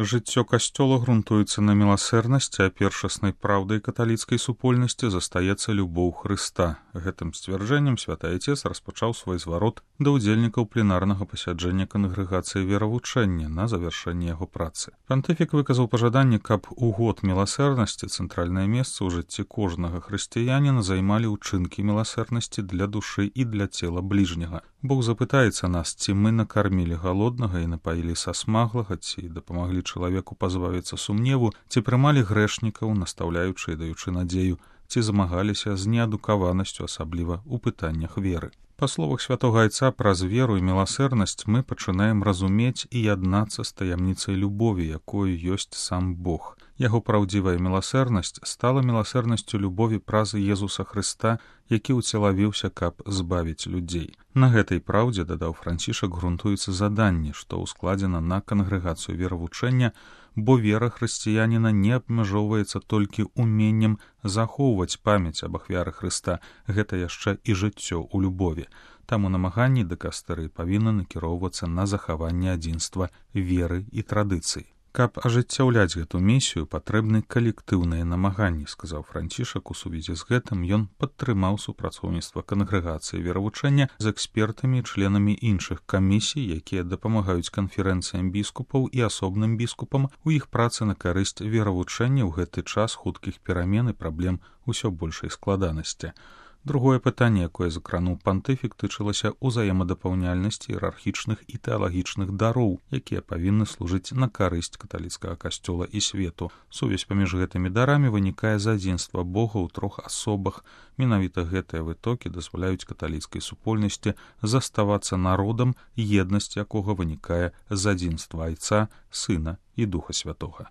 Жыццё касцёла грунтуецца на міласэрнасці, а першаснай праўдай каталіцкай супольнасці застаецца любоў Хрыста. Гэтым сцвярджэннем святы Айцец распачаў свой зварот да ўдзельнікаў пленарнага пасяджэння кангрэгацыі веравучэння на завяршэнне яго працы. Пантыфік выказаў пажаданне, каб у год міласэрнасці цэнтральнае месца ў жыцці кожнага хрысціяніна займалі ўчынкі міласэрнасці для душы і для цела бліжняга. Бог запытаецца нас, ці мы накармілі галоднага і напаілі сасмаглага, ці дапамаглі чалавеку пазбавіцца сумневу, ці прымалі грэшнікаў, настаўляючы і даючы надзею, ці змагаліся з неадукаванасцю, асабліва ў пытаннях веры. Па словах святога Айца, праз веру і міласэрнасць мы пачынаем разумець і яднацца з таямніцай любові, якою ёсць сам Бог. Яго праўдзівая міласэрнасць стала міласэрнасцю любові праз Езуса Хрыста, які ўцелавіўся, каб збавіць людзей. На гэтай праўдзе, дадаў Францішак, грунтуецца заданне, што ўскладзена на кангрэгацыю веравучэння, бо вера хрысціяніна не абмяжоўваецца толькі ўменнем захоўваць памяць аб ахвяры Хрыста, гэта яшчэ і жыццё ў любові. Таму намаганні дыкастэрыі павінны накіроўвацца на захаванне адзінства веры і традыцый. Каб ажыццяўляць гэту місію, патрэбны калектыўныя намаганні, сказаў Францішак. У сувязі з гэтым ён падтрымаў супрацоўніцтва кангрэгацыі веравучэння з экспертамі і членамі іншых камісій, якія дапамагаюць канферэнцыям біскупаў і асобным біскупам у іх працы на карысць веравучэння ў гэты час хуткіх перамен і праблем усё большай складанасці. Другое пытанне, якое закрануў пантыфік, тычылася ўзаемадапаўняльнасці іерархічных і тэалагічных дароў, якія павінны служыць на карысць каталіцкага касцёла і свету. Сувязь паміж гэтымі дарамі вынікае з адзінства Бога ў трох асобах. Менавіта гэтыя вытокі дазваляюць каталіцкай супольнасці заставацца народам, еднасць якога вынікае з адзінства Айца, Сына і Духа Святога.